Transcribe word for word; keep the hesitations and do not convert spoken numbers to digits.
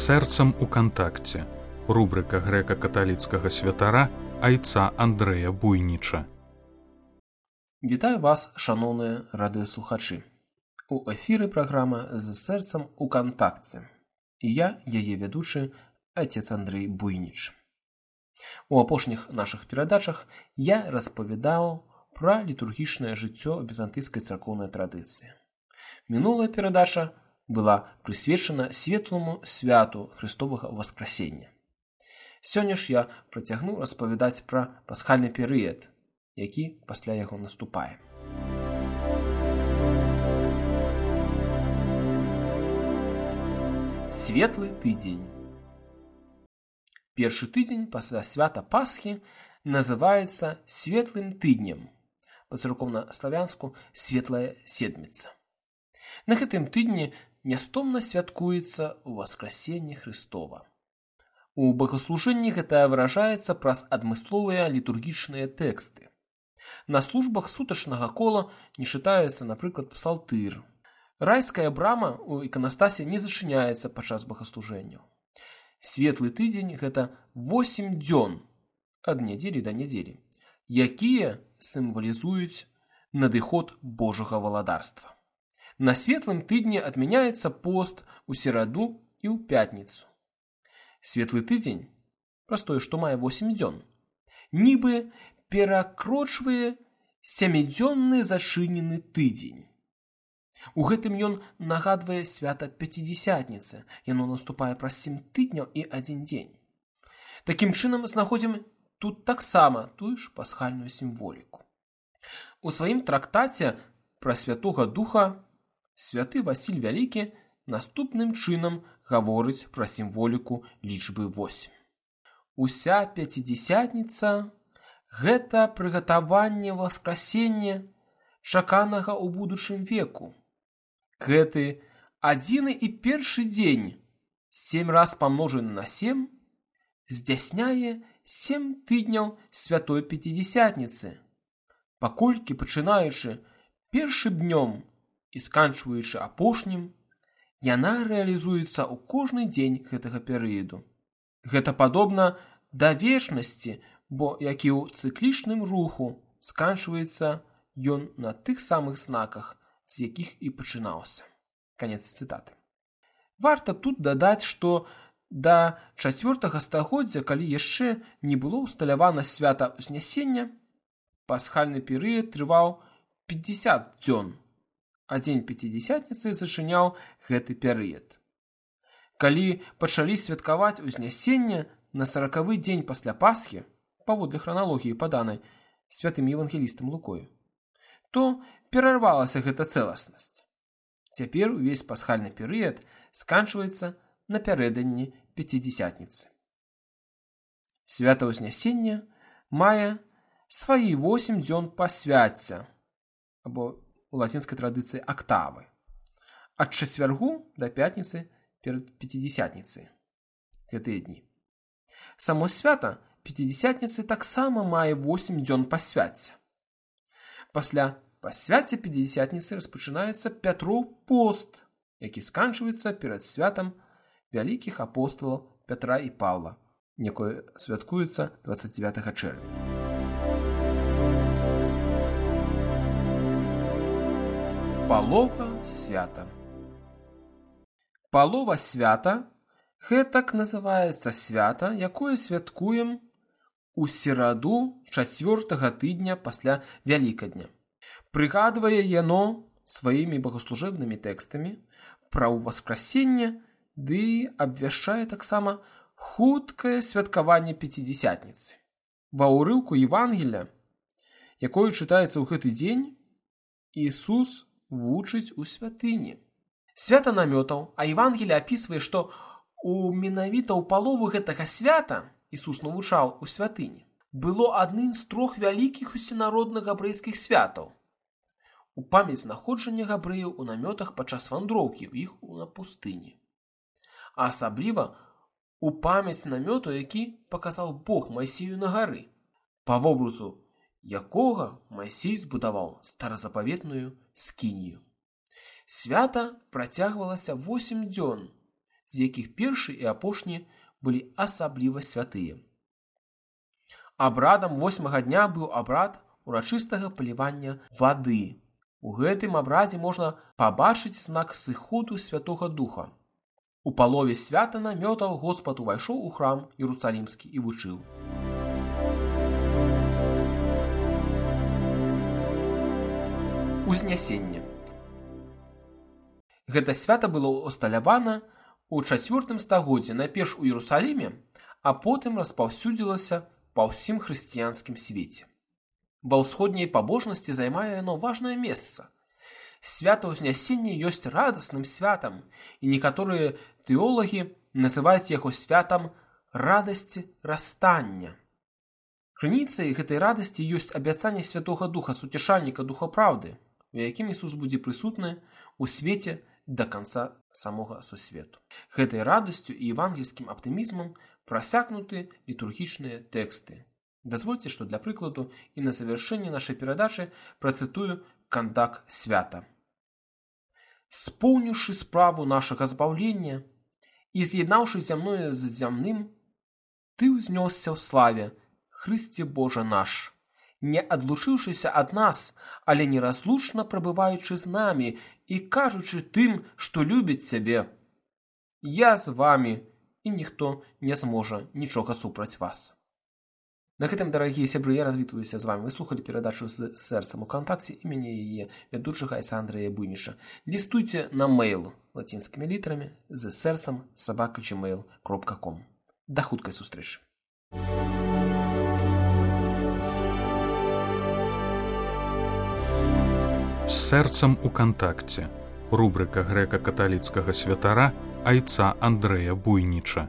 сэрцам у кантакце. Рубрика грэка-каталіцкага святара айца Андрэя Буйніча. Вітаю вас, шаноўныя радыёслухачы. У эфіры праграма «З сэрцам у кантакце». І я, яе вядучы, айцец Андрэй Буйніч. У апошніх нашых перадачах я распавядаў пра літургічнае жыццё візантыйскай царкоўнай традыцыі. Мінулая перадача была прысвечана светлому святу Христовага Васкрасення. Сёння ж я працягну распавядаць пра пасхальны перыяд, які пасля яго наступае. Светлы тыдзень. Першы тыдзень пасля свята Пасхі называецца светлым тыднем, па-царкоўна-славянску светлая седміца. На гэтым тыдні нястомна святкуецца Васкрасенне Христова. У богаслужэнні гэта выражаецца праз адмысловыя літургічныя тэксты. На службах сутачнага кола не чытаецца, напрыклад, псалтыр. Райская брама ў іканастасе не зачыняецца падчас богаслужэнняў. Светлы тыдзень – гэта восем дзён ад нядзелі да нядзелі, якія сімвалізуюць надыход Божага валадарства. На светлым тыдні адмяняецца пост у сераду і ў пятніцу. Светлы тыдзень, праз тое, што мае восем дзён, нібы перакрочвае сямідзённы зачынены тыдзень. У гэтым ён нагадвае свята Пяцідзясятніцы, яно наступае праз сем тыдняў і адзін дзень. Такім чынам знаходзім тут таксама тую ж пасхальную сімволіку. У сваім трактаце пра Святога Духа святы Васіль Вялікі наступным чынам гаворыць пра сімволіку лічбы восем. Уся Пяцідзясятніца – гэта прыгатаванне Васкрасення, чаканага ў будучым веку. Гэты адзіны і першы дзень, сем раз памножаны на сем, здзяйсняе сем тыдняў святой Пяцідзясятніцы, паколькі, пачынаючы першым днём і сканчваючы апошнім, яна рэалізуецца ў кожны дзень гэтага перыяду. Гэта падобна да вечнасці, бо, як і ў цыклічным руху, сканчваецца ён на тых самых знаках, з якіх і пачынаўся. Канец цытаты. Варта тут дадаць, што да чацвёртага стагоддзя, калі яшчэ не было ўсталявана свята Ўзнясення, пасхальны перыяд трываў пяцьдзясят дзён, а дзень Пяцідзясятніцы зачыняў гэты перыяд. Калі пачалі святкаваць Узнясення на саракавы дзень пасля Пасхі, паводле храналогіі паданай святым евангелістам Лукою, то перарвалася гэта цэласнасць. Цяпер увесь пасхальны перыяд сканчваецца напярэдадні Пяцідзясятніцы. Свята Ўзнясення мае свае восем дзён пасвяцця, або у лацінскай традыцыі актавы, ад чацвяргу да пятніцы перад Пяцідзясятніцай, гэтыя дні. Само свята Пяцідзясятніцы таксама мае восем дзён пасвяцця. Пасля пасвяцця Пяцідзясятніцы распачынаецца Пятроў пост, які сканчваецца перад святам вялікіх апосталаў Пятра і Паўла, якое святкуецца дваццаць дзевятага чэрвеня. Палова свята. Палова свята – гэтак называецца свята, якое святкуем у сераду чацвёртага тыдня пасля Вялікадня. Прыгадвае яно сваімі богаслужэбнымі тэкстамі пра Васкрасенне ды абвяшчае таксама хуткае святкаванне Пяцідзясятніцы. Ва ўрыўку Евангелля, якое чытаецца ў гэты дзень, Ісус вучыць у святыні. Свята намётаў, а Евангелле апісвае, што у менавіта ў палову гэтага свята Ісус навучаў у святыні. Было адным з трох вялікіх усенародных габрэйскіх святаў. У памяць знаходжання габрэяў у намётах падчас вандроўкі ў іх на пустыні. А асабліва у памяць намёту, які паказаў Бог Майсею на гары, па вобразу якога Майсей збудаваў старазапаветную скінію. Свята працягвалася восем дзён, з якіх першы і апошні былі асабліва святыя. Абрадам восьмага дня быў абрад урачыстага палівання вады. У гэтым абрадзе можна пабачыць знак сыходу Святога Духа. У палове свята намётаў Господ увайшоў у храм Іерусалімскі і вучыў. Узнясенне. Гэта свята было усталявана ў чацвёртым стагоддзі найперш у Іерусаліме, а потым распаўсюдзілася па ўсім хрысціянскім свеце. Ва ўсходняй пабожнасці займае яно важнае месца. Свята Ўзнясення ёсць радасным святам, і некаторыя тэолагі называюць яго святам радасці расстання. Крыніцай гэтай радасці ёсць абяцанне Святога Духа, суцешальніка Духа Праўды, у якім Ісус будзе прысутны ў свеце да канца самога сусвету. Гэтай радасцю і евангельскім аптымізмам прасякнуты літургічныя тэксты. Дазвольце, што для прыкладу і на завяршэнне нашай перадачы працытую кандак свята. «Споўніўшы справу нашага збаўлення і з'яднаўшы зямное з зямным, Ты ўзнёсся ў славе, Хрысце Божа наш, не адлучыўшыся ад нас, але неразлучна прабываючы з намі і кажучы тым, што любіць Цябе. Я з вамі, і ніхто не зможа нічога супраць вас». На гэтым, дарагія сябры, я развітваюся з вамі. Вы слухалі перадачу з сэрцам у кантакце, і мяне яе вядучага айца Андрэя Буйніча. Лістуйце на мэйл лацінскімі літарамі з сэрцам сабака джимейл кропка ком. Да хуткай сустрэчы. З сэрцам у кантакце. Рубрыка грэка-каталіцкага святара айца Андрэя Буйніча.